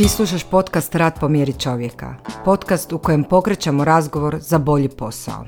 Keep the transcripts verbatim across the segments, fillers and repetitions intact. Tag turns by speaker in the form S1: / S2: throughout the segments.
S1: Ti slušaš podcast Rad po mjeri čovjeka, podcast u kojem pokrećemo razgovor za bolji posao.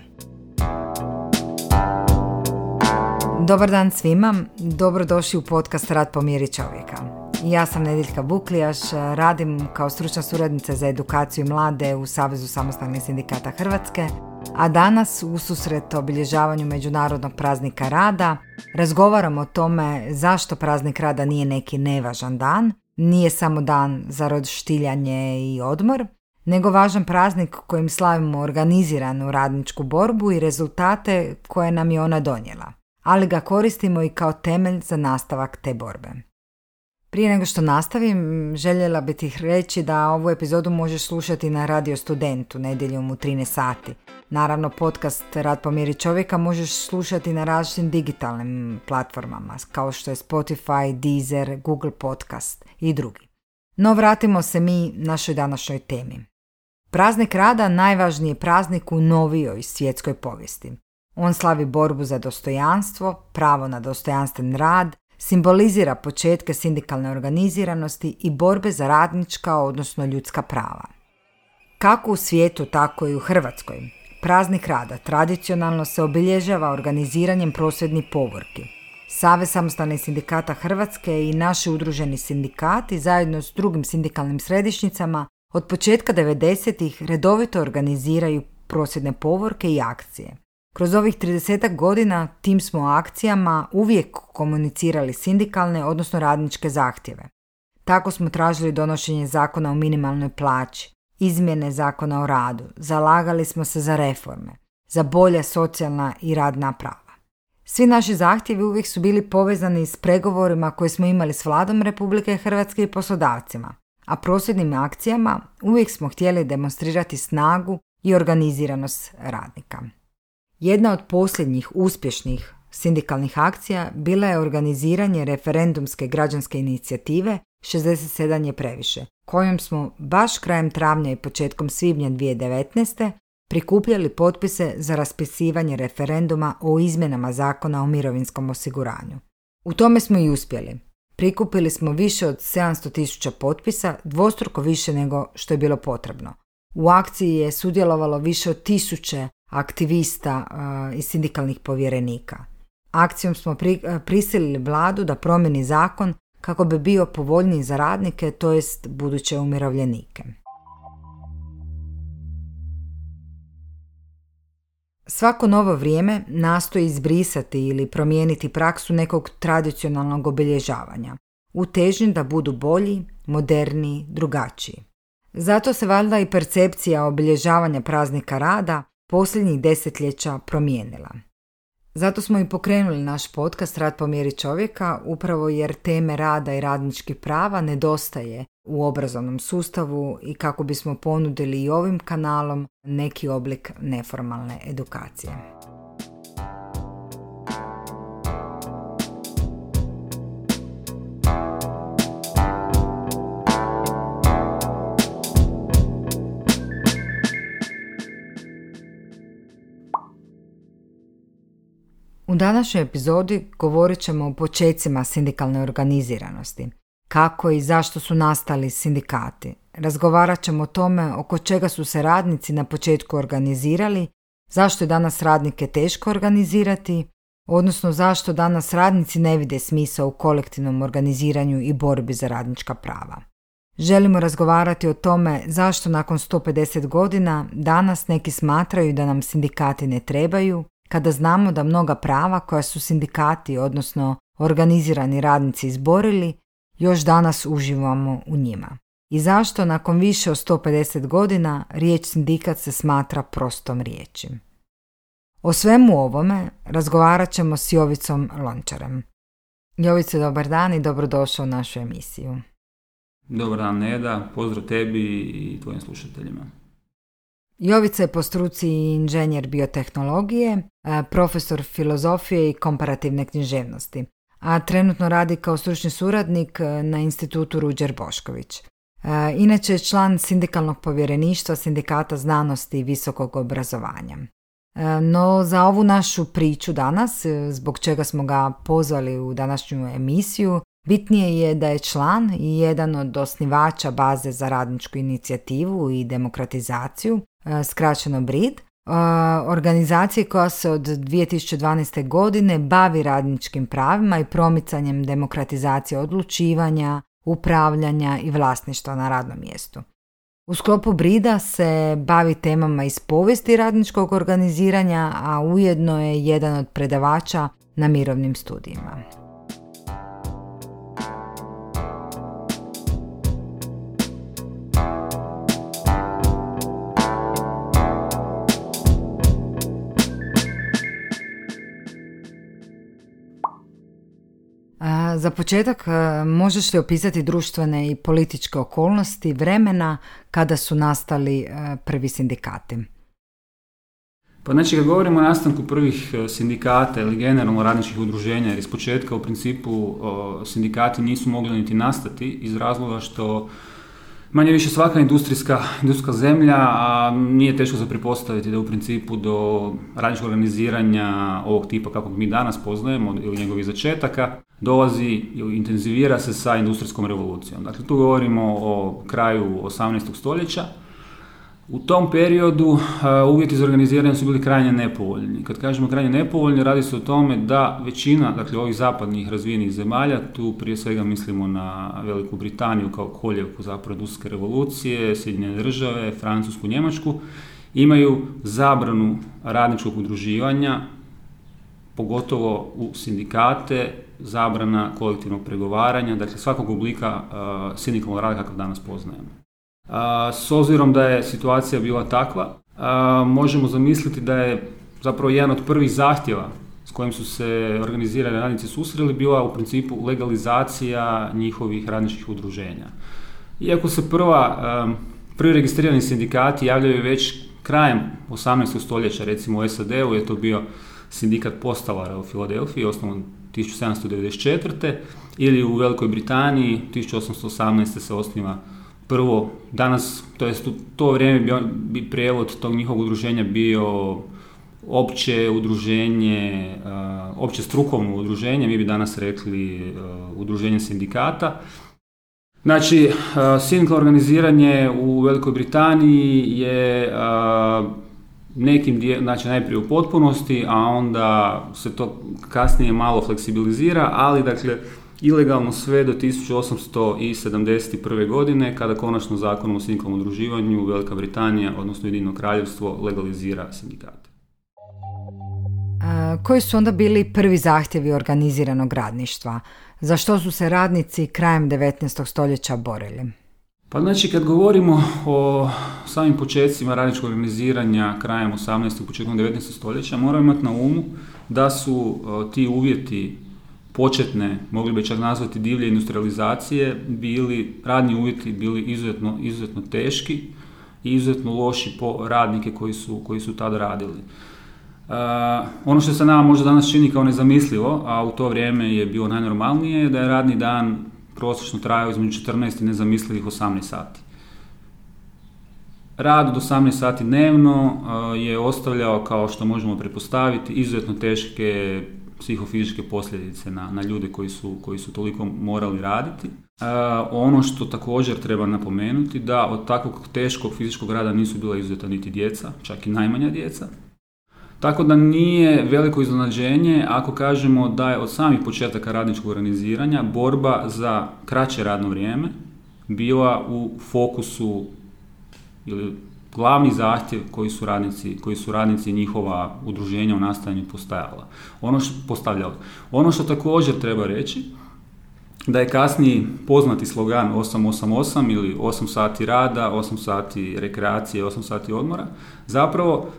S1: Dobar dan svima, dobrodošli u podcast Rad po mjeri čovjeka. Ja sam Nediljka Buklijaš, radim kao stručna suradnica za edukaciju mlade u Savezu samostalnih sindikata Hrvatske, a danas u susret obilježavanju Međunarodnog praznika rada razgovaramo o tome zašto praznik rada nije neki nevažan dan, nije samo dan za roštiljanje i odmor, nego važan praznik kojim slavimo organiziranu radničku borbu i rezultate koje nam je ona donijela, ali ga koristimo i kao temelj za nastavak te borbe. Prije nego što nastavim, željela bih ti reći da ovu epizodu možeš slušati na Radio Studentu nedjeljom u trinaest sati. Naravno, podcast Rad po mjeri čovjeka možeš slušati na različitim digitalnim platformama, kao što je Spotify, Deezer, Google Podcast i drugi. No vratimo se mi našoj današnjoj temi. Praznik rada najvažniji je praznik u novijoj svjetskoj povijesti. On slavi borbu za dostojanstvo, pravo na dostojanstven rad, simbolizira početke sindikalne organiziranosti i borbe za radnička, odnosno ljudska prava. Kako u svijetu, tako i u Hrvatskoj, praznik rada tradicionalno se obilježava organiziranjem prosvjednih povorki. Savez samostalnih sindikata Hrvatske i naši udruženi sindikati zajedno s drugim sindikalnim središnjicama od početka devedesetih redovito organiziraju prosvjedne povorke i akcije. Kroz ovih tridesetak godina tim smo akcijama uvijek komunicirali sindikalne, odnosno radničke zahtjeve. Tako smo tražili donošenje zakona o minimalnoj plaći, izmjene zakona o radu, zalagali smo se za reforme, za bolja socijalna i radna prava. Svi naši zahtjevi uvijek su bili povezani s pregovorima koje smo imali s Vladom Republike Hrvatske i poslodavcima, a prosvjednim akcijama uvijek smo htjeli demonstrirati snagu i organiziranost radnika. Jedna od posljednjih uspješnih sindikalnih akcija bila je organiziranje referendumske građanske inicijative šezdeset sedam je previše, kojom smo baš krajem travnja i početkom svibnja dvije tisuće devetnaeste. prikupljali potpise za raspisivanje referenduma o izmjenama zakona o mirovinskom osiguranju. U tome smo i uspjeli. Prikupili smo više od sedamsto tisuća potpisa, dvostruko više nego što je bilo potrebno. U akciji je sudjelovalo više od tisuće aktivista uh, i sindikalnih povjerenika. Akcijom smo pri, uh, prisilili vladu da promijeni zakon kako bi bio povoljniji za radnike, to jest buduće umirovljenike. Svako novo vrijeme nastoji izbrisati ili promijeniti praksu nekog tradicionalnog obilježavanja, u težnji da budu bolji, moderniji, drugačiji. Zato se valjda i percepcija obilježavanja praznika rada posljednjih desetljeća promijenila. Zato smo i pokrenuli naš podcast Rad po mjeri čovjeka, upravo jer teme rada i radničkih prava nedostaje u obrazovnom sustavu i kako bismo ponudili i ovim kanalom neki oblik neformalne edukacije. U današnjoj epizodi govorit ćemo o počecima sindikalne organiziranosti, kako i zašto su nastali sindikati. Razgovarat ćemo o tome oko čega su se radnici na početku organizirali, zašto je danas radnike teško organizirati, odnosno zašto danas radnici ne vide smisao u kolektivnom organiziranju i borbi za radnička prava. Želimo razgovarati o tome zašto nakon sto pedeset godina danas neki smatraju da nam sindikati ne trebaju, kada znamo da mnoga prava koja su sindikati, odnosno organizirani radnici izborili, još danas uživamo u njima. I zašto nakon više od sto pedeset godina riječ sindikat se smatra prostom riječi. O svemu ovome razgovarat ćemo s Jovicom Lončarem. Jovice, dobar dan i dobrodošao u našu emisiju.
S2: Dobar dan, Neda, pozdrav tebi i tvojim slušateljima.
S1: Jovica je po struci inženjer biotehnologije, profesor filozofije i komparativne književnosti, a trenutno radi kao stručni suradnik na institutu Ruđer Bošković. Inače je član sindikalnog povjereništva Sindikata znanosti i visokog obrazovanja. No za ovu našu priču danas, zbog čega smo ga pozvali u današnju emisiju, Bitnije je da je član i jedan od osnivača baze za radničku inicijativu i demokratizaciju, skraćeno B R I D, organizacije koja se od dvije tisuće dvanaeste. godine bavi radničkim pravima i promicanjem demokratizacije odlučivanja, upravljanja i vlasništva na radnom mjestu. U sklopu B R I D-a se bavi temama iz povijesti radničkog organiziranja, a ujedno je jedan od predavača na mirovnim studijima. Za početak, možeš li opisati društvene i političke okolnosti vremena kada su nastali prvi sindikati?
S2: Pa znači, kad govorimo o nastanku prvih sindikata ili generalno radničkih udruženja, jer iz početka u principu sindikati nisu mogli niti nastati iz razloga što manje više svaka industrijska, industrijska zemlja, a nije teško za pretpostaviti da u principu do radničkog organiziranja ovog tipa kakvog mi danas poznajemo ili njegovih začetaka dolazi ili intenzivira se sa industrijskom revolucijom. Dakle, tu govorimo o kraju osamnaestog stoljeća. U tom periodu uh, uvjeti za organiziranje su bili krajnje nepovoljni. Kad kažemo krajnje nepovoljni, radi se o tome da većina, dakle, ovih zapadnih razvijenih zemalja, tu prije svega mislimo na Veliku Britaniju kao koljevku zapravo industrijske revolucije, Sjedinjene države, Francusku, Njemačku, imaju zabranu radničkog udruživanja, pogotovo u sindikate, zabrana kolektivnog pregovaranja, dakle svakog oblika uh, sindikalnog rada kakav danas poznajemo. Uh, s obzirom da je situacija bila takva, uh, možemo zamisliti da je zapravo jedan od prvih zahtjeva s kojim su se organizirani radnici susreli bila u principu legalizacija njihovih radničkih udruženja. Iako se prva, um, prvi registrirani sindikati javljaju već krajem osamnaestog stoljeća, recimo u S A D-u je to bio sindikat postalara u Filadelfiji, osnovan tisuću sedamsto devedeset četvrte. ili u Velikoj Britaniji tisuću osamsto osamnaeste. se osniva prvo, danas, to jest u to vrijeme bi, bi prijevod tog njihovog udruženja bio opće udruženje, uh, opće strukovno udruženje, mi bi danas rekli uh, udruženje sindikata. Znači, uh, sindikalno organiziranje u Velikoj Britaniji je uh, nekim dje, znači najprije u potpunosti, a onda se to kasnije malo fleksibilizira, ali dakle ilegalno sve do tisuću osamsto sedamdeset prve. godine, kada konačno zakonom o sindikalnom udruživanju Velika Britanija, odnosno Ujedinjeno Kraljevstvo, legalizira sindikate.
S1: A, koji su onda bili prvi zahtjevi organiziranog radništva? Za što su se radnici krajem devetnaestog stoljeća borili?
S2: Pa znači, kad govorimo o samim početcima radničkog organiziranja krajem osamnaestog. početkom devetnaestog stoljeća, moramo imati na umu da su uh, ti uvjeti početne, mogli bi čak nazvati divlje industrializacije, bili, radni uvjeti bili izuzetno, izuzetno teški i izuzetno loši po radnike koji su, koji su tada radili. Uh, ono što se nama možda danas čini kao nezamislivo, a u to vrijeme je bilo najnormalnije, da je radni dan prosječno trajao između četrnaest i nezamislivih osamnaest sati. Rad od osamnaest sati dnevno uh, je ostavljao, kao što možemo pretpostaviti, izuzetno teške psihofizičke posljedice na, na ljude koji su, koji su toliko morali raditi. Uh, ono što također treba napomenuti, da od takvog teškog fizičkog rada nisu bila izuzeta niti djeca, čak i najmanja djeca. Tako da nije veliko iznenađenje ako kažemo da je od samih početaka radničkog organiziranja borba za kraće radno vrijeme bila u fokusu ili glavni zahtjev koji su radnici, koji su radnici njihova udruženja u nastajanju postavljala. Ono što, postavljala. Ono što također treba reći, da je kasniji poznati slogan osam osam osam ili osam sati rada, osam sati rekreacije, osam sati odmora, zapravo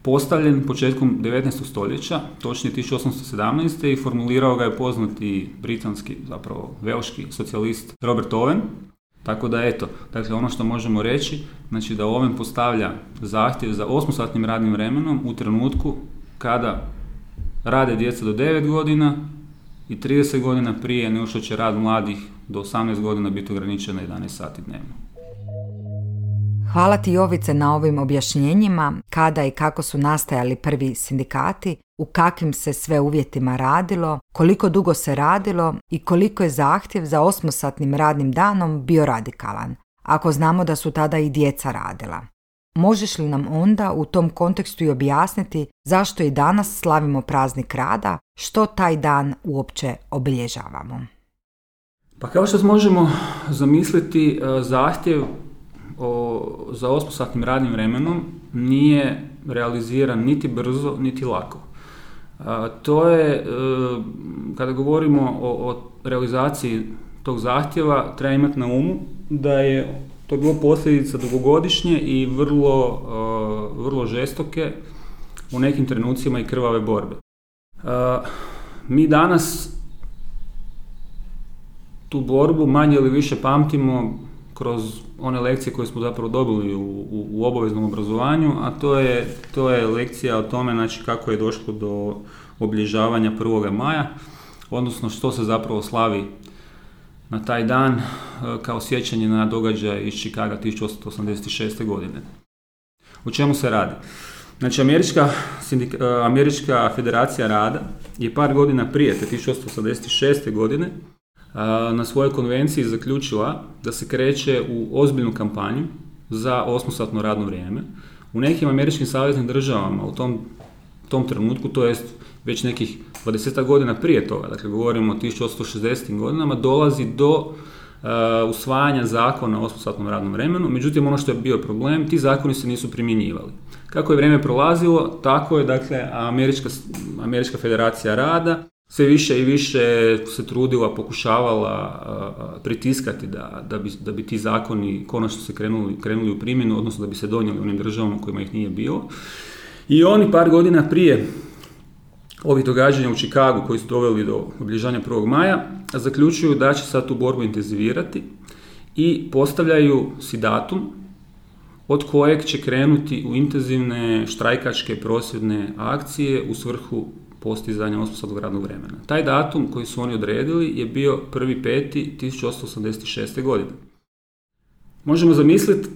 S2: postavljen početkom devetnaestog stoljeća, točnije tisuću osamsto sedamnaeste. i formulirao ga je poznati britanski, zapravo velški socijalist Robert Owen. Tako da eto, dakle ono što možemo reći, znači da Owen postavlja zahtjev za osmosatnim radnim vremenom u trenutku kada rade djeca do devet godina i trideset godina prije nego što će rad mladih do osamnaest godina biti ograničen na jedanaest sati dnevno.
S1: Hvala ti, Jovice, na ovim objašnjenjima kada i kako su nastajali prvi sindikati, u kakvim se sve uvjetima radilo, koliko dugo se radilo i koliko je zahtjev za osmosatnim radnim danom bio radikalan, ako znamo da su tada i djeca radila. Možeš li nam onda u tom kontekstu i objasniti zašto i danas slavimo praznik rada, što taj dan uopće obilježavamo?
S2: Pa kao što možemo zamisliti, zahtjev o, za osmosatnim radnim vremenom nije realiziran niti brzo, niti lako. A, to je, e, kada govorimo o, o realizaciji tog zahtjeva, treba imati na umu da je to bilo posljedica dugogodišnje i vrlo, e, vrlo žestoke, u nekim trenucima i krvave borbe. E, mi danas tu borbu manje ili više pamtimo kroz one lekcije koje smo zapravo dobili u, u, u obaveznom obrazovanju, a to je, to je lekcija o tome, znači, kako je došlo do obilježavanja prvoga maja, odnosno što se zapravo slavi na taj dan kao sjećanje na događaj iz Chicaga tisuću osamsto osamdeset šeste. godine. O čemu se radi? Znači, Američka, sindika, Američka federacija rada je par godina prije, te tisuću osamsto osamdeset šeste. godine, na svojoj konvenciji zaključila da se kreće u ozbiljnu kampanju za osmosatno radno vrijeme. U nekim američkim saveznim državama u tom, tom trenutku, to jest već nekih dvadeset godina prije toga, dakle govorimo o tisuću osamsto šezdesetim godinama, dolazi do uh, usvajanja zakona o osmosatnom radnom vremenu. Međutim, ono što je bio problem, ti zakoni se nisu primjenjivali. Kako je vrijeme prolazilo, tako je, dakle, Američka, Američka federacija rada sve više i više se trudila, pokušavala uh, pritiskati da, da, bi, da bi ti zakoni konačno se krenuli, krenuli u primjenu, odnosno da bi se donijeli u onim državama u kojima ih nije bilo. I oni par godina prije ovih događanja u Chicagu koji su doveli do obilježavanja prvog maja, zaključuju da će sad tu borbu intenzivirati i postavljaju si datum od kojeg će krenuti u intenzivne štrajkačke prosvjedne akcije u svrhu postizanja osmosatnog radnog vremena. Taj datum koji su oni odredili je bio prvi peti tisuću osamsto osamdeset šeste. godine. Možemo zamisliti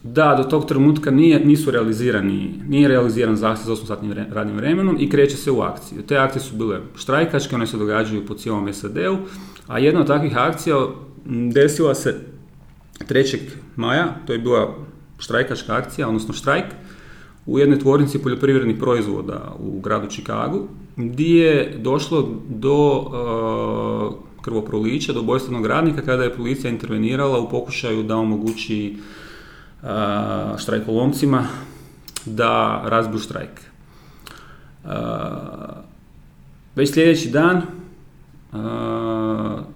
S2: da do tog trenutka nije, nisu realizirani, nije realiziran zahtjev za osmosatnim radnim vremenom i kreće se u akciju. Te akcije su bile štrajkačke, one se događaju po cijelom es a de-u, a jedna od takvih akcija desila se trećeg maja, to je bila štrajkačka akcija, odnosno štrajk, u jednoj tvornici poljoprivrednih proizvoda u gradu Chicagu, gdje je došlo do uh, krvoprolića, do ubojstvenog radnika, kada je policija intervenirala u pokušaju da omogući uh, štrajkolomcima da razbiju štrajk. Uh, već sljedeći dan uh,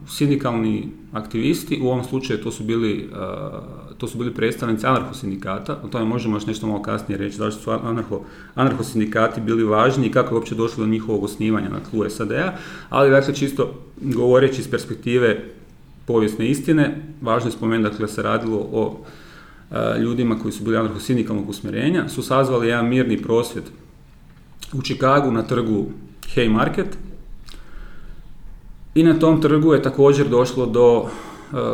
S2: sindikalni aktivisti, u ovom slučaju to su bili uh, to su bili predstavnici anarhosindikata, o tome možemo još nešto malo kasnije reći, zašto su anarho, anarhosindikati bili važni i kako je uopće došlo do njihovog osnivanja na tlu es a de-a, ali dakle čisto govoreći iz perspektive povijesne istine, važno je spomenuti, dakle, da se radilo o a, ljudima koji su bili anarhosindikalnog usmjerenja, su sazvali jedan mirni prosvjed u Chicagu na trgu Haymarket i na tom trgu je također došlo do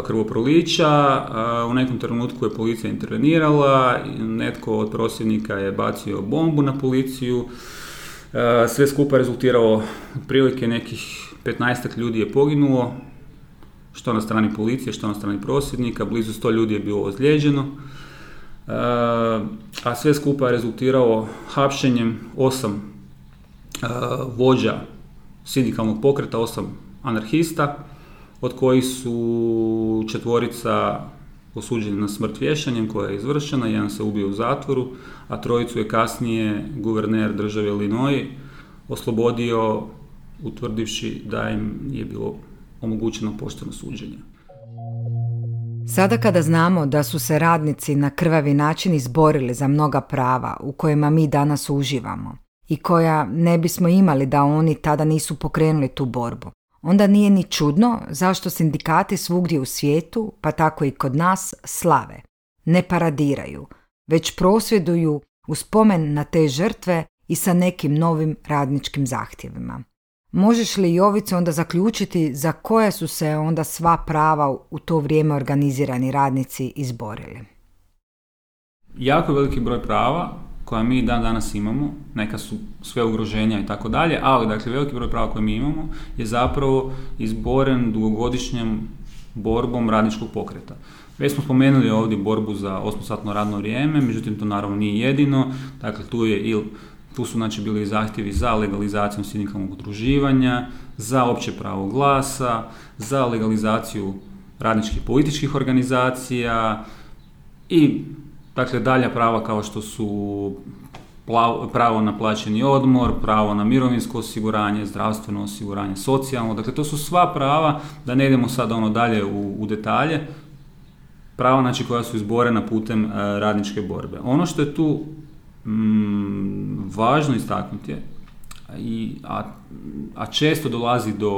S2: krvoprolića. U nekom trenutku je policija intervenirala, netko od prosvjednika je bacio bombu na policiju, sve skupa rezultiralo otprilike nekih petnaestak ljudi je poginulo, što na strani policije, što na strani prosvjednika, blizu sto ljudi je bilo ozlijeđeno, a sve skupa je rezultiralo hapšenjem osam vođa sindikalnog pokreta, osam anarhista, od kojih su četvorica osuđeni na smrt vješanjem koja je izvršena, jedan se ubio u zatvoru, a trojicu je kasnije guverner države Illinois oslobodio utvrdivši da im je bilo omogućeno pošteno suđenje.
S1: Sada kada znamo da su se radnici na krvavi način izborili za mnoga prava u kojima mi danas uživamo i koja ne bismo imali da oni tada nisu pokrenuli tu borbu, onda nije ni čudno zašto sindikati svugdje u svijetu, pa tako i kod nas, slave. Ne paradiraju, već prosvjeduju u spomen na te žrtve i sa nekim novim radničkim zahtjevima. Možeš li, Jovice, onda zaključiti za koje su se onda sva prava u to vrijeme organizirani radnici izborili?
S2: jako veliki broj prava koja mi dan danas imamo, neka su sve ugroženja i tako dalje, ali dakle veliki broj prava koje mi imamo je zapravo izboren dugogodišnjom borbom radničkog pokreta. Već smo spomenuli ovdje borbu za osmosatno radno vrijeme, međutim to naravno nije jedino, dakle tu je il Tu su znači bili zahtjevi za legalizacijom sindikalnog udruživanja, za opće pravo glasa, za legalizaciju radničkih političkih organizacija i dakle dalja prava kao što su pravo na plaćeni odmor, pravo na mirovinsko osiguranje, zdravstveno osiguranje, socijalno. Dakle to su sva prava, da ne idemo sad ono dalje u, u detalje, prava znači koja su izborena putem uh, radničke borbe. Ono što je tu Mm, važno istaknuti je, i, a, a često dolazi do,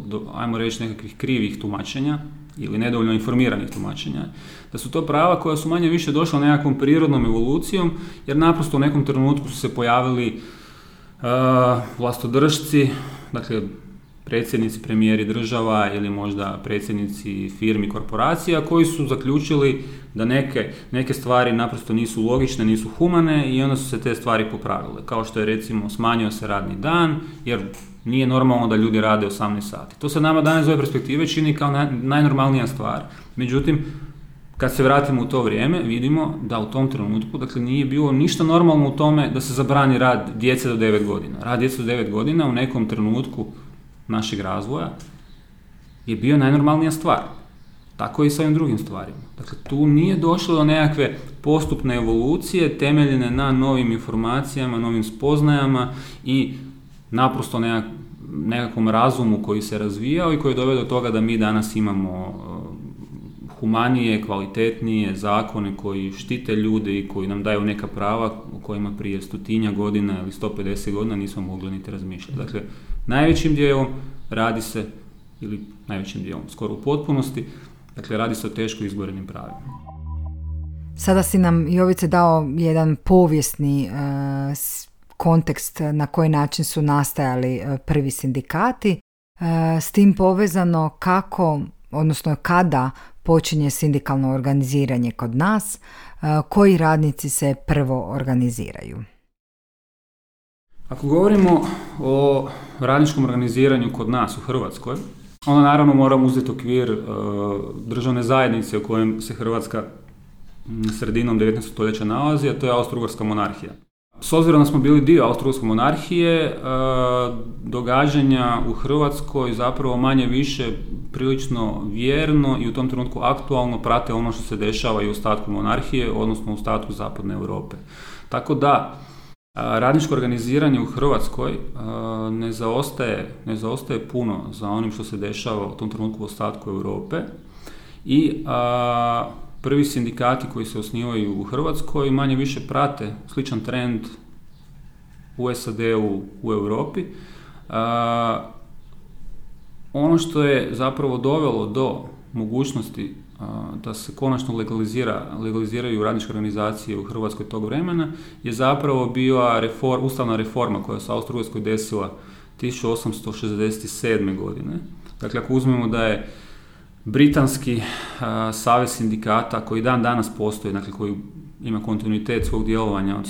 S2: do, ajmo reći, nekakvih krivih tumačenja ili nedovoljno informiranih tumačenja, da su to prava koja su manje više došla nekakvom prirodnom evolucijom, jer naprosto u nekom trenutku su se pojavili uh, vlastodržci, dakle predsjednici, premijeri država ili možda predsjednici firmi, korporacija koji su zaključili da neke, neke stvari naprosto nisu logične, nisu humane i onda su se te stvari popravile. Kao što je recimo smanjio se radni dan jer nije normalno da ljudi rade osamnaest sati. To se nama danas iz ove perspektive čini kao naj, najnormalnija stvar. Međutim, kad se vratimo u to vrijeme, vidimo da u tom trenutku, dakle, nije bilo ništa normalno u tome da se zabrani rad djece do devet godina. Rad djece do devet godina u nekom trenutku našeg razvoja je bio najnormalnija stvar. Tako i sa ovim drugim stvarima. Dakle, tu nije došlo do nekakve postupne evolucije temeljene na novim informacijama, novim spoznajama i naprosto nekak, nekakvom razumu koji se razvijao i koji je doveo do toga da mi danas imamo humanije, kvalitetnije zakone koji štite ljude i koji nam daju neka prava o kojima prije stotinja godina ili sto pedeset godina nismo mogli niti razmišljati. Dakle, najvećim dijelom radi se, ili najvećim dijelom, skoro u potpunosti, dakle radi se o teško izborenim pravima.
S1: Sada si nam, Jovice, dao jedan povijesni e, kontekst na koji način su nastajali e, prvi sindikati. E, s tim povezano kako, odnosno kada počinje sindikalno organiziranje kod nas, e, koji radnici se prvo organiziraju?
S2: Ako govorimo o radničkom organiziranju kod nas u Hrvatskoj, onda naravno moramo uzeti okvir uh, državne zajednice u kojem se Hrvatska sredinom devetnaestog stoljeća nalazi, a to je Austro-Ugarska monarhija. S obzirom da smo bili dio Austro-Ugarske monarhije, uh, događanja u Hrvatskoj zapravo manje više prilično vjerno i u tom trenutku aktualno prate ono što se dešava i u ostatku monarhije, odnosno u ostatku zapadne Europe. Tako da radničko organiziranje u Hrvatskoj uh, ne zaostaje, ne zaostaje puno za onim što se dešava u tom trenutku u ostatku Europe i uh, prvi sindikati koji se osnivaju u Hrvatskoj manje više prate sličan trend u S A D-u, u Europi. Uh, ono što je zapravo dovelo do mogućnosti da se konačno legalizira, legaliziraju radničke organizacije u Hrvatskoj tog vremena, je zapravo bila reform, ustavna reforma koja se u Austro-Ugarskoj desila tisuću osamsto šezdeset sedme. godine. Dakle, ako uzmemo da je britanski a, savez sindikata koji dan danas postoji, dakle koji ima kontinuitet svog djelovanja od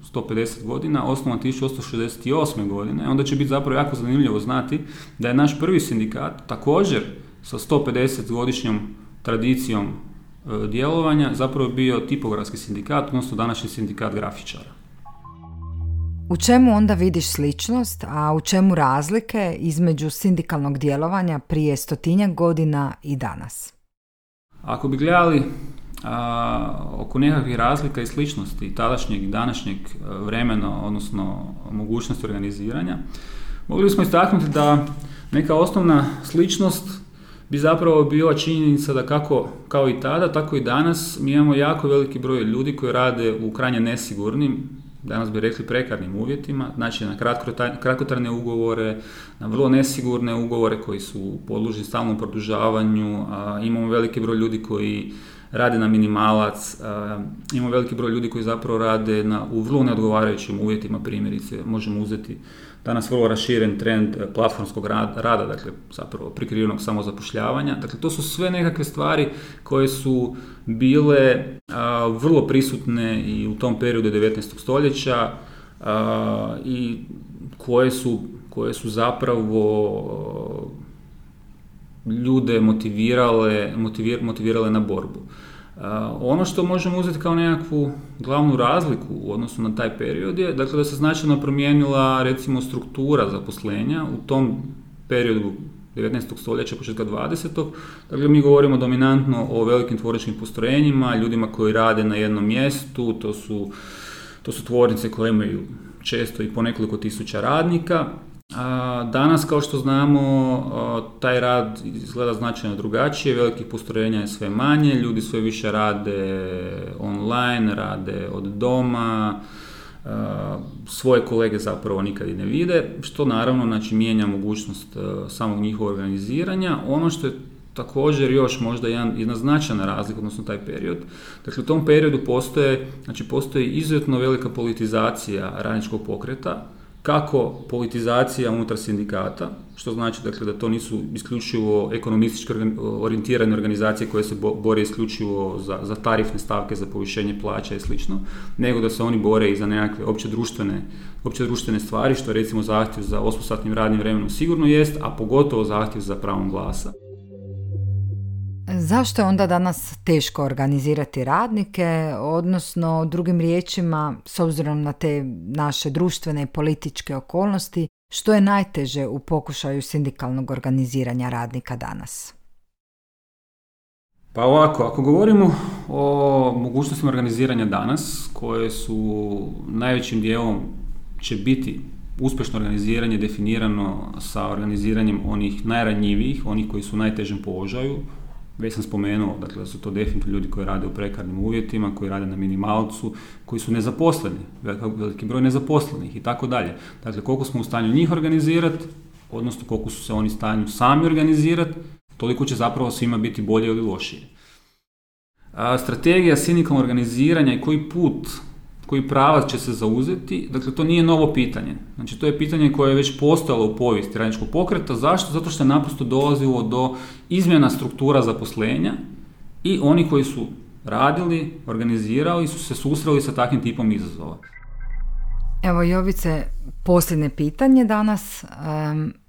S2: sto pedeset godina, osnovan tisuću osamsto šezdeset osme. godine, onda će biti zapravo jako zanimljivo znati da je naš prvi sindikat također sa sto pedeset godišnjom tradicijom e, djelovanja zapravo bio tipografski sindikat, odnosno današnji sindikat grafičara.
S1: U čemu onda vidiš sličnost, a u čemu razlike između sindikalnog djelovanja prije stotinjak godina i danas?
S2: Ako bi gledali a, oko nekakvih razlika i sličnosti tadašnjeg i današnjeg vremena, odnosno mogućnosti organiziranja, mogli bismo istaknuti da neka osnovna sličnost bi zapravo bila činjenica da kako kao i tada, tako i danas mi imamo jako veliki broj ljudi koji rade u krajnje nesigurnim, danas bi rekli prekarnim uvjetima, znači na kratkotrajne ugovore, na vrlo nesigurne ugovore koji su podložni stalnom produžavanju, a imamo veliki broj ljudi koji rade na minimalac, imamo veliki broj ljudi koji zapravo rade na, u vrlo neodgovarajućim uvjetima, primjerice, možemo uzeti danas vrlo raširen trend platformskog rada, dakle zapravo prikrivenog samozapošljavanja. Dakle, to su sve nekakve stvari koje su bile a, vrlo prisutne i u tom periodu devetnaestog stoljeća a, i koje su, koje su zapravo ljude motivirale, motivir, motivirale na borbu. Uh, ono što možemo uzeti kao nekakvu glavnu razliku u odnosu na taj period je dakle, da se značajno promijenila recimo struktura zaposlenja u tom periodu devetnaestog stoljeća, početka dvadesetog. Dakle, mi govorimo dominantno o velikim tvorničkim postrojenjima, ljudima koji rade na jednom mjestu, to su, to su tvornice koje imaju često i po nekoliko tisuća radnika. A danas, kao što znamo, taj rad izgleda značajno drugačije, velikih postrojenja je sve manje, ljudi sve više rade online, rade od doma, svoje kolege zapravo nikad i ne vide, što naravno znači, mijenja mogućnost samog njihovog organiziranja. Ono što je također još možda jedan, jedna značajna razlika, odnosno taj period. Dakle, u tom periodu postoje, znači, postoji izuzetno velika politizacija radničkog pokreta, kako politizacija unutar sindikata, što znači dakle, da to nisu isključivo ekonomistički orijentirane organizacije koje se bore isključivo za, za tarifne stavke, za povišenje plaća i slično, nego da se oni bore i za nekakve opće društvene, opće društvene stvari, što recimo zahtjev za osmosatnim radnim vremenom sigurno jest, a pogotovo zahtjev za pravom glasa.
S1: Zašto je onda danas teško organizirati radnike, odnosno drugim riječima, s obzirom na te naše društvene i političke okolnosti, što je najteže u pokušaju sindikalnog organiziranja radnika danas?
S2: Pa ovako, ako govorimo o mogućnostima organiziranja danas, koje su najvećim dijelom će biti uspješno organiziranje definirano sa organiziranjem onih najranjivijih, onih koji su u najtežem položaju. Već sam spomenuo, dakle, da su to definitivno ljudi koji rade u prekarnim uvjetima, koji rade na minimalcu, koji su nezaposleni, veliki broj nezaposlenih i tako dalje. Dakle, koliko smo u stanju njih organizirati, odnosno koliko su se oni u stanju sami organizirati, toliko će zapravo svima biti bolje ili lošije. A, strategija sindikalnog organiziranja i koji put, koji pravac će se zauzeti, dakle, to nije novo pitanje. Znači, to je pitanje koje je već postojalo u povijesti radničkog pokreta. Zašto? Zato što je naprosto dolazilo do izmjena struktura zaposlenja i oni koji su radili, organizirali, su se susreli sa takvim tipom izazova.
S1: Evo, Jovice, posljednje pitanje danas.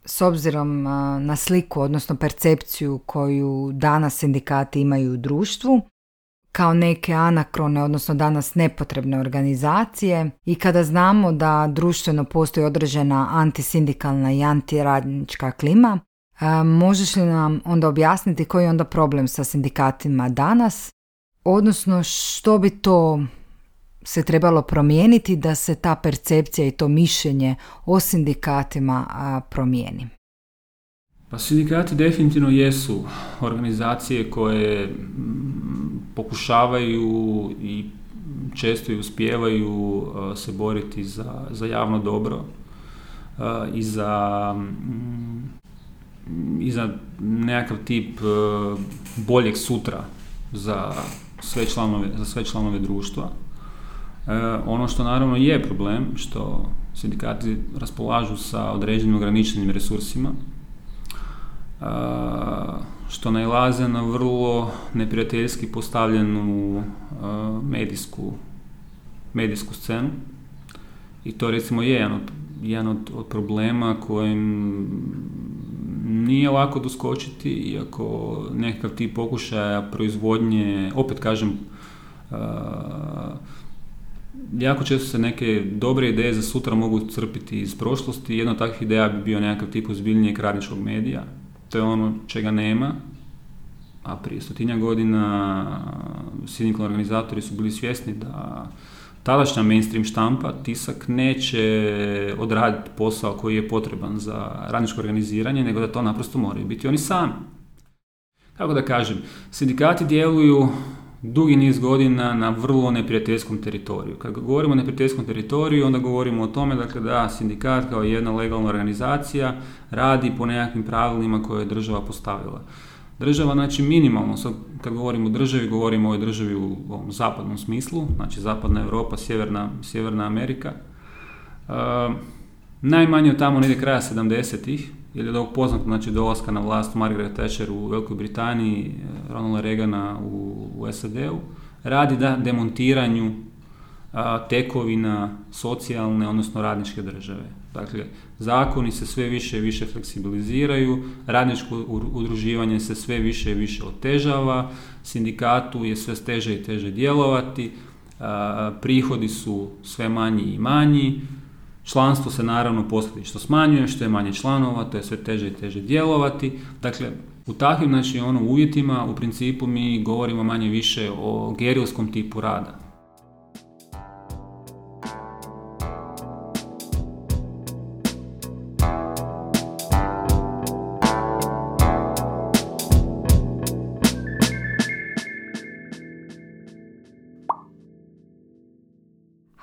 S1: S obzirom na sliku, odnosno percepciju koju danas sindikati imaju u društvu, kao neke anakrone, odnosno danas nepotrebne organizacije, i kada znamo da društveno postoji određena antisindikalna i antiradnička klima, možeš li nam onda objasniti koji je onda problem sa sindikatima danas, odnosno što bi to se trebalo promijeniti da se ta percepcija i to mišljenje o sindikatima promijeni?
S2: Pa sindikati definitivno jesu organizacije koje pokušavaju i često i uspijevaju se boriti za, za javno dobro i za, i za nekakav tip boljeg sutra za sve članove, za sve članove društva. Ono što naravno je problem, što sindikati raspolažu sa određenim ograničenim resursima, što nailaze na vrlo neprijateljski postavljenu medijsku, medijsku scenu. I to recimo je jedan od, jedan od, od problema kojim nije lako doskočiti, iako nekakav tip pokušaja proizvodnje, opet kažem, jako često se neke dobre ideje za sutra mogu crpiti iz prošlosti. Jedna od takvih ideja bi bio nekakav tip ozbiljnijeg radničkog medija. To je ono čega nema, a prije stotinja godina sindikalni organizatori su bili svjesni da tadašnja mainstream štampa, tisak, neće odraditi posao koji je potreban za radničko organiziranje, nego da to naprosto moraju biti oni sami. Kako da kažem, sindikati djeluju dugi niz godina na vrlo neprijateljskom teritoriju. Kad govorimo o neprijateljskom teritoriju, onda govorimo o tome dakle, da sindikat kao jedna legalna organizacija radi po nekakvim pravilima koje je država postavila. Država, znači minimalno, sad kad govorimo o državi, govorimo o državi u ovom zapadnom smislu, znači zapadna Europa, sjeverna, sjeverna Amerika. E, najmanje od tamo negdje kraja sedamdesetih, jer je od ovog poznatog, znači dolaska na vlast Margaret Thatcher u Velikoj Britaniji, Ronalda Reagana u, u S A D-u, radi da demontiranju a, tekovina socijalne, odnosno radničke države. Dakle, zakoni se sve više i više fleksibiliziraju, radničko udruživanje se sve više i više otežava, sindikatu je sve teže i teže djelovati, a, prihodi su sve manji i manji, članstvo se naravno posljedično smanjuje, što je manje članova, to je sve teže i teže djelovati. Dakle, u takvim, znači, ono, uvjetima u principu mi govorimo manje više o gerilskom tipu rada.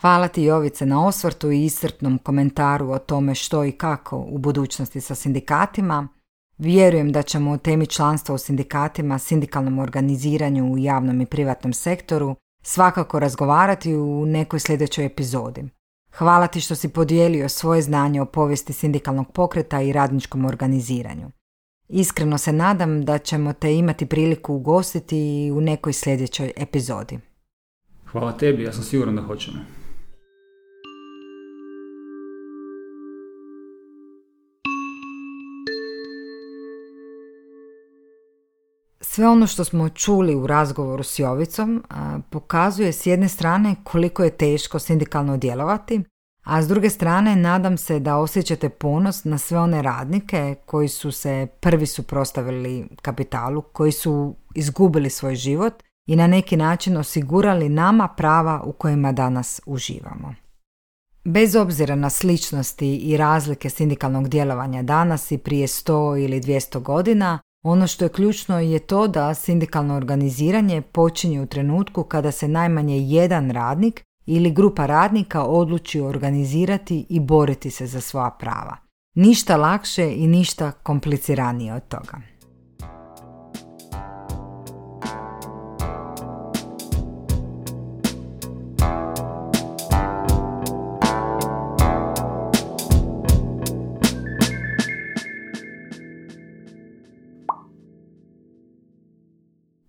S1: Hvala ti, Jovice, na osvrtu i iscrpnom komentaru o tome što i kako u budućnosti sa sindikatima. Vjerujem da ćemo o temi članstva u sindikatima, sindikalnom organiziranju u javnom i privatnom sektoru svakako razgovarati u nekoj sljedećoj epizodi. Hvala ti što si podijelio svoje znanje o povijesti sindikalnog pokreta i radničkom organiziranju. Iskreno se nadam da ćemo te imati priliku ugostiti u nekoj sljedećoj epizodi.
S2: Hvala tebi, ja sam siguran da hoćemo.
S1: Sve ono što smo čuli u razgovoru s Jovicom a, pokazuje s jedne strane koliko je teško sindikalno djelovati, a s druge strane nadam se da osjećate ponos na sve one radnike koji su se prvi suprotstavili kapitalu, koji su izgubili svoj život i na neki način osigurali nama prava u kojima danas uživamo. Bez obzira na sličnosti i razlike sindikalnog djelovanja danas i prije sto ili dvjesto godina, ono što je ključno je to da sindikalno organiziranje počinje u trenutku kada se najmanje jedan radnik ili grupa radnika odluči organizirati i boriti se za svoja prava. Ništa lakše i ništa kompliciranije od toga.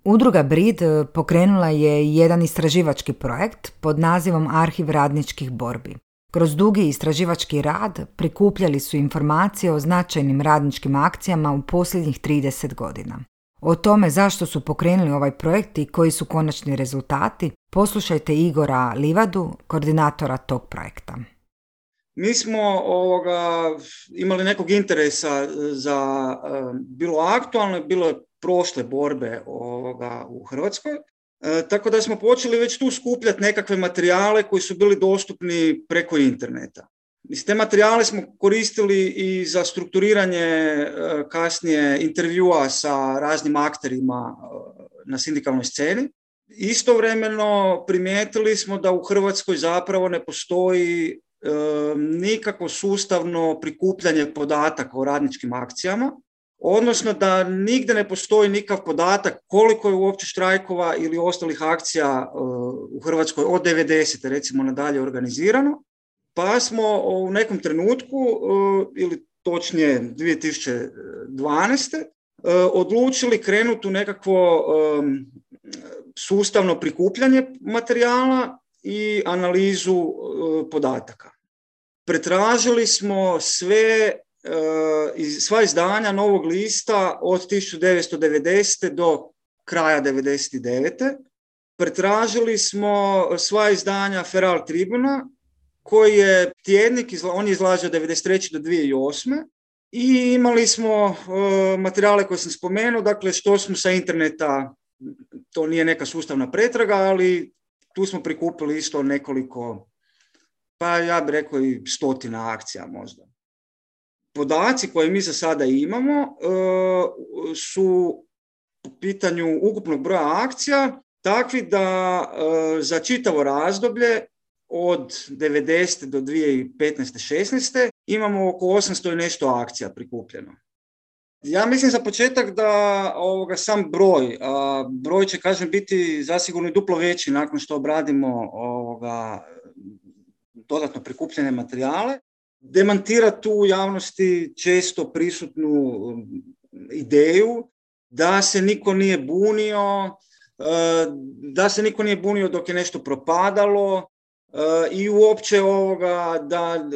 S1: Udruga B R I D pokrenula je jedan istraživački projekt pod nazivom Arhiv radničkih borbi. Kroz dugi istraživački rad prikupljali su informacije o značajnim radničkim akcijama u posljednjih trideset godina. O tome zašto su pokrenuli ovaj projekt i koji su konačni rezultati, poslušajte Igora Livadu, koordinatora tog projekta.
S3: Mi smo ovoga, imali nekog interesa za bilo aktualne, bilo prošle borbe ovoga, u Hrvatskoj, e, tako da smo počeli već tu skupljati nekakve materijale koji su bili dostupni preko interneta. Mislim, te materijale smo koristili i za strukturiranje e, kasnije intervjua sa raznim akterima e, na sindikalnoj sceni. Istovremeno primijetili smo da u Hrvatskoj zapravo ne postoji e, nikakvo sustavno prikupljanje podataka o radničkim akcijama, odnosno da nigdje ne postoji nikakav podatak koliko je uopće štrajkova ili ostalih akcija u Hrvatskoj od devedesete recimo nadalje organizirano, pa smo u nekom trenutku, ili točnije dvije tisuće dvanaeste. odlučili krenuti u nekakvo sustavno prikupljanje materijala i analizu podataka. Pretražili smo sve sva izdanja Novog lista od tisuću devetsto devedesete do kraja devedeset devete. Pretražili smo sva izdanja Feral Tribuna, koji je tjednik, on je izlažio od devedeset treće do dvije tisuće osme. I imali smo uh, materijale koje sam spomenuo, dakle što smo sa interneta, to nije neka sustavna pretraga, ali tu smo prikupili isto nekoliko, pa ja bih rekao i stotina akcija možda. Podaci koje mi za sada imamo uh, su po pitanju ukupnog broja akcija takvi da uh, za čitavo razdoblje od devedesete do dvije tisuće petnaeste šesnaeste imamo oko osamsto i nešto akcija prikupljeno. Ja mislim za početak da ovoga, sam broj, a broj će, kažem, biti zasigurno i duplo veći nakon što obradimo ovoga, dodatno prikupljene materijale. Demantira tu u javnosti često prisutnu ideju da se niko nije bunio, da se niko nije bunio dok je nešto propadalo i uopće ovoga da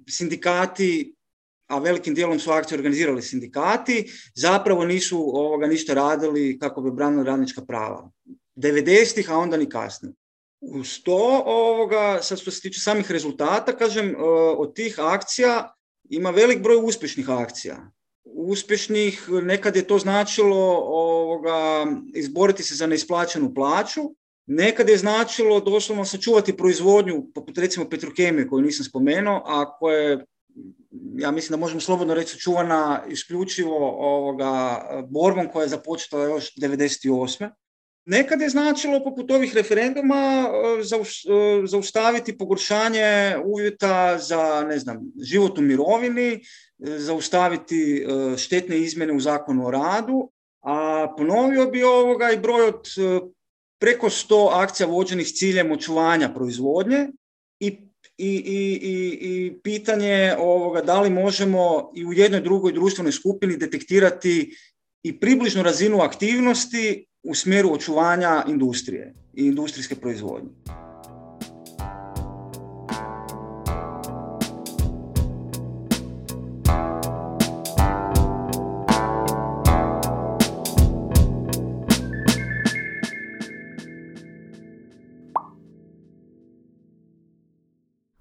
S3: sindikati, a velikim dijelom su akcije organizirali sindikati, zapravo nisu ovoga ništa radili kako bi branili radnička prava. devedesetih, a onda ni kasnije. Uz to, ovoga, sad što se tiče samih rezultata, kažem, od tih akcija ima velik broj uspješnih akcija. Uspješnih, nekad je to značilo ovoga, izboriti se za neisplaćenu plaću, nekad je značilo doslovno sačuvati proizvodnju, poput recimo Petrokemije koju nisam spomenuo, a koje, ja mislim da možemo slobodno reći, sačuvana isključivo ovoga, borbom koja je započela još devedeset osme. Nekad je značilo, poput ovih referenduma, zaustaviti pogoršanje uvjeta za, ne znam, život u mirovini, zaustaviti štetne izmjene u Zakonu o radu, a ponovio bi ovoga i broj od preko sto akcija vođenih s ciljem očuvanja proizvodnje i, i, i, i, i pitanje ovoga da li možemo i u jednoj drugoj društvenoj skupini detektirati i približnu razinu aktivnosti u smjeru očuvanja industrije i industrijske proizvodnje.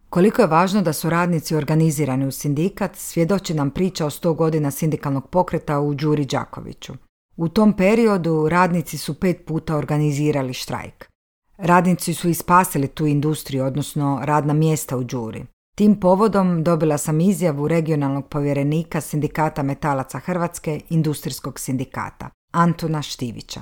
S1: Koliko je važno da su radnici organizirani u sindikat, svjedoči nam priča o sto godina sindikalnog pokreta u Đuri Đakoviću. U tom periodu radnici su pet puta organizirali štrajk. Radnici su ispasili tu industriju, odnosno radna mjesta u Đuri. Tim povodom dobila sam izjavu regionalnog povjerenika Sindikata metalaca Hrvatske, Industrijskog sindikata, Antuna Štivića.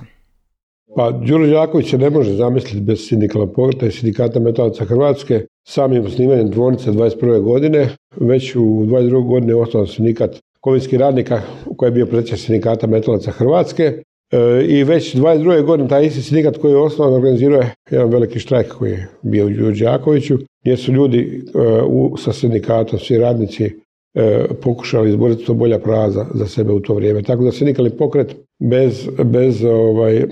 S4: Pa Đuro Đaković se ne može zamisliti bez sindikalnog pokreta i Sindikata metalaca Hrvatske. Samim osnivanjem tvornice dvadeset prve godine, već u dvadeset drugoj godine je osnovan sindikat kovinskih radnika koji je bio predsjednik Sindikata metalaca Hrvatske e, i već dvadeset druge godine taj isti sindikat koji je osnovan organizirao je jedan veliki štrajk koji je bio u Đuri Đakoviću, gdje su ljudi e, u, sa sindikatom, svi radnici e, pokušali izboriti to bolja prava za, za sebe u to vrijeme. Tako da sindikalni pokret bez, bez ovaj,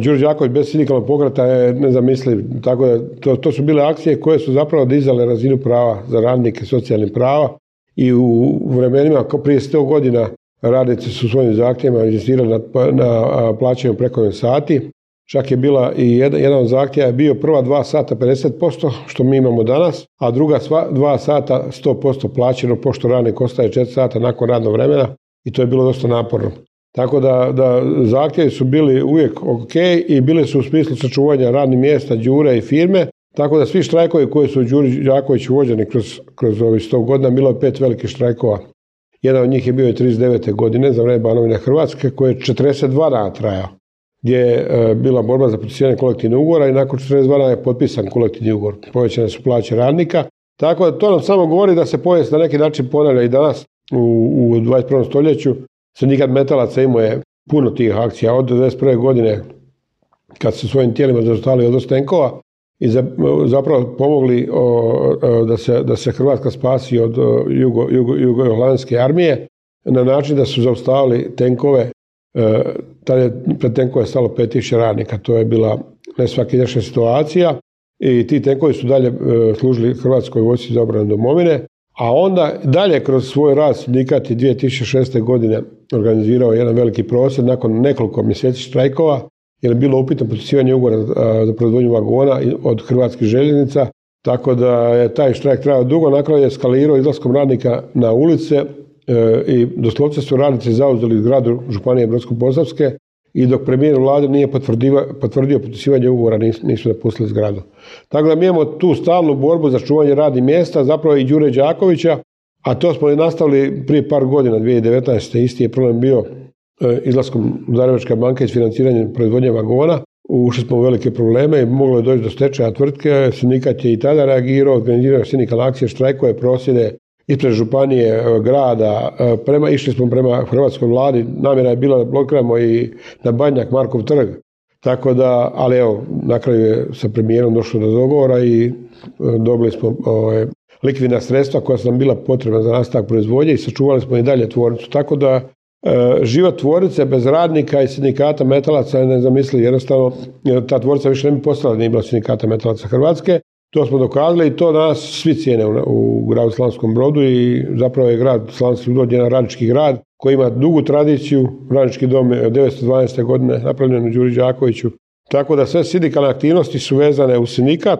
S4: Đuro Đaković bez sindikalnog pokreta je nezamisliv, tako da to, to su bile akcije koje su zapravo dizale razinu prava za radnike, socijalnih prava i u vremenima kao prije sto godina radnici su svojim zahtjevima inzistirali na, na plaćanju prekovremenih sati. Čak je bila i jedan, jedan od zahtjeva je bio prva dva sata pedeset posto što mi imamo danas, a druga sva, dva sata sto posto plaćeno pošto radnik ostaje četiri sata nakon radnog vremena i to je bilo dosta naporno. Tako da, da zahtjevi su bili uvijek ok i bili su u smislu sačuvanja radnih mjesta, Đure i firme, tako da svi štrajkovi koji su u Đuri Đakoviću vođeni kroz, kroz ovih sto godina, bilo je pet velikih štrajkova. Jedan od njih je bio i trideset devete godine za vrijeme Banovine Hrvatske koji je četrdeset dva dana trajao, gdje je e, bila borba za potpisivanje kolektivnog ugovora i nakon četrdeset dva dana je potpisan kolektivni ugovor. Povećane su plaće radnika, tako da to nam samo govori da se povijest na neki način ponavlja i danas u, u dvadeset prvom stoljeću. Sindikat metalaca imao je puno tih akcija od devedeset prve godine kad su svojim tijelima zaustavili odvoz tenkova i za, zapravo pomogli o, o, da, se, da se Hrvatska spasi od jugo, jugo, jugoholandske armije na način da su zaustavili tenkove. E, tada je pred tenkove stalo pet tisuća radnika. To je bila nesvakidašnja situacija i ti tenkovi su dalje e, služili Hrvatskoj vojsci za obranu domovine. A onda dalje kroz svoj rad sindikat je dvije tisuće šeste. godine organizirao jedan veliki prosvjed nakon nekoliko mjeseci štrajkova, jer je bilo upitno potpisivanje ugovora za proizvodnju vagona od Hrvatskih željeznica, tako da je taj štrajk trajao dugo, na kraju je eskalirao izlaskom radnika na ulice e, i doslovce su radnici zauzeli zgradu Županije Brodsko-posavske i dok premijer vlade nije potvrdio potpisivanje ugovora nisu, nisu napustili zgradu. Tako da mi imamo tu stalnu borbu za čuvanje radnih mjesta, zapravo i Đure Đakovića, a to smo i nastavili prije par godina, dvije tisuće devetnaeste. Isti je problem bio e, izlaskom Zagrebačke banke i financiranjem proizvodnje vagona. Ušli smo u velike probleme i moglo je doći do stečaja tvrtke. Sindikat je i tada reagirao, organizirao sindikalne akcije, štrajkove, prosvjede ispred županije, grada, prema, išli smo prema hrvatskoj vladi, namjera je bila da blokiramo i na Badnjak, Markov trg. Tako da, ali evo, na kraju je sa premijerom došlo do dogovora i dobili smo ove, likvidna sredstva koja su nam bila potrebna za nastavak proizvodnje i sačuvali smo i dalje tvornicu. Tako da e, život tvornice bez radnika i sindikata metalaca je nezamisliv. Jednostavno, ta tvornica više ne bi postala, nije bila sindikata metalaca Hrvatske. To smo dokazali i to danas svi cijene u, u gradu Slavonskom Brodu i zapravo je grad Slavonski Brod jedan radnički grad koji ima dugu tradiciju, radnički dom od devetsto dvanaeste. godine napravljen u Đuri Đakoviću. Tako da sve sindikalne aktivnosti su vezane u sindikat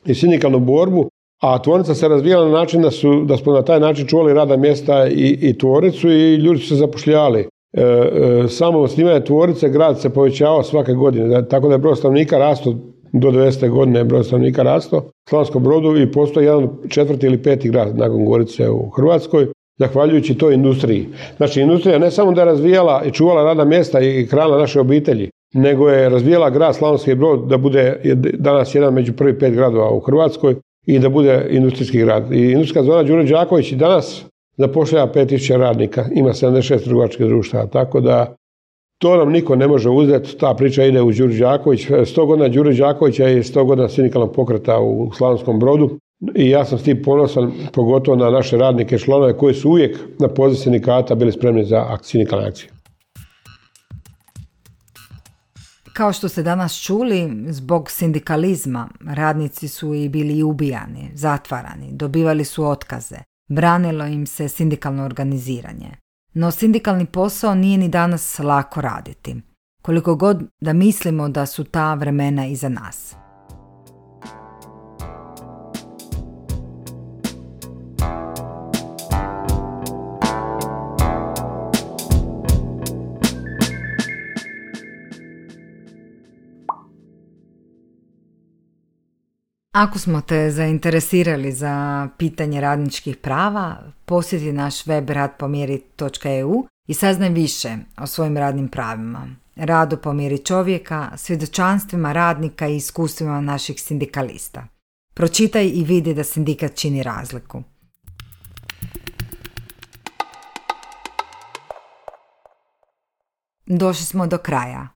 S4: i sindikalnu borbu, a tvornica se razvijala na način da, su, da smo na taj način čuvali radna mjesta i, i tvornicu i ljudi su se zapošljavali. E, e, samo osnivanje tvornice grad se povećavao svake godine, tako da je broj stanovnika rastao do devedesete. godine, broj stanovnika rastao u Slavonskom Brodu i postoji jedan četvrti ili peti grad nakon Gorice u Hrvatskoj, zahvaljujući toj industriji. Znači, industrija ne samo da je razvijala i čuvala radna mjesta i hranila naše obitelji, nego je razvijala grad Slavonski Brod da bude danas jedan među prvih pet gradova u Hrvatskoj i da bude industrijski grad. I industrijska zona Đuro Đaković i danas zapošljava pet tisuća radnika, ima sedamdeset šest trgovačkih društava, tako da to nam niko ne može uzeti, ta priča ide u Đuro Đaković. sto godina Đuro Đakovića je sto godina sindikalnog pokreta u Slavonskom Brodu i ja sam s tim ponosan, pogotovo na naše radnike i članove koji su uvijek na poziv sindikata bili spremni za sindikalne akcije.
S1: Kao što ste danas čuli, zbog sindikalizma radnici su i bili ubijani, zatvarani, dobivali su otkaze, branilo im se sindikalno organiziranje. No sindikalni posao nije ni danas lako raditi, koliko god da mislimo da su ta vremena iza nas. Ako smo te zainteresirali za pitanje radničkih prava, posjeti naš web rad po mjeri točka e u i saznaj više o svojim radnim pravima, radu po mjeri čovjeka, svjedočanstvima radnika i iskustvima naših sindikalista. Pročitaj i vidi da sindikat čini razliku. Došli smo do kraja.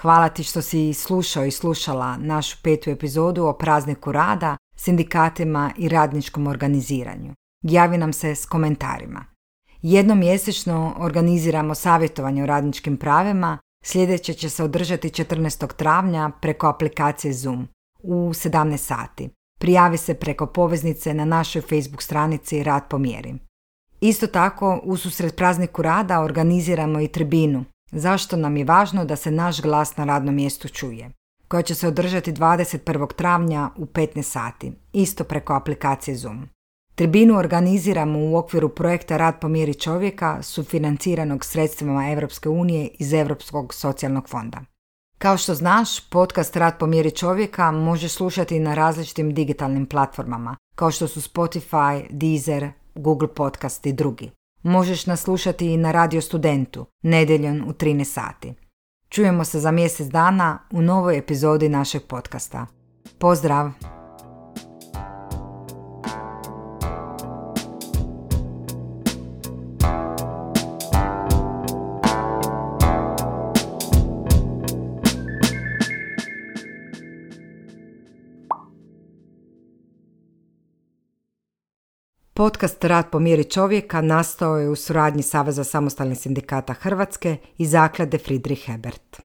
S1: Hvala ti što si slušao i slušala našu petu epizodu o prazniku rada, sindikatima i radničkom organiziranju. Javi nam se s komentarima. Jednom mjesečno organiziramo savjetovanje o radničkim pravima, sljedeće će se održati četrnaestog travnja preko aplikacije Zoom u sedamnaest sati. Prijavi se preko poveznice na našoj Facebook stranici Rad po mjeri. Isto tako, ususret prazniku rada organiziramo i tribinu, zašto nam je važno da se naš glas na radnom mjestu čuje, koja će se održati dvadeset prvog travnja u petnaest sati, isto preko aplikacije Zoom. Tribinu organiziramo u okviru projekta Rad po mjeri čovjeka, sufinanciranog sredstvima Europske unije iz Europskog socijalnog fonda. Kao što znaš, podcast Rad po mjeri čovjeka možeš slušati na različitim digitalnim platformama, kao što su Spotify, Deezer, Google Podcast i drugi. Možeš nas slušati i na Radio Studentu, nedjeljom u trinaest sati. Čujemo se za mjesec dana u novoj epizodi našeg podcasta. Pozdrav! Podcast Rad po mjeri čovjeka nastao je u suradnji Saveza samostalnih sindikata Hrvatske i zaklade Friedrich Ebert.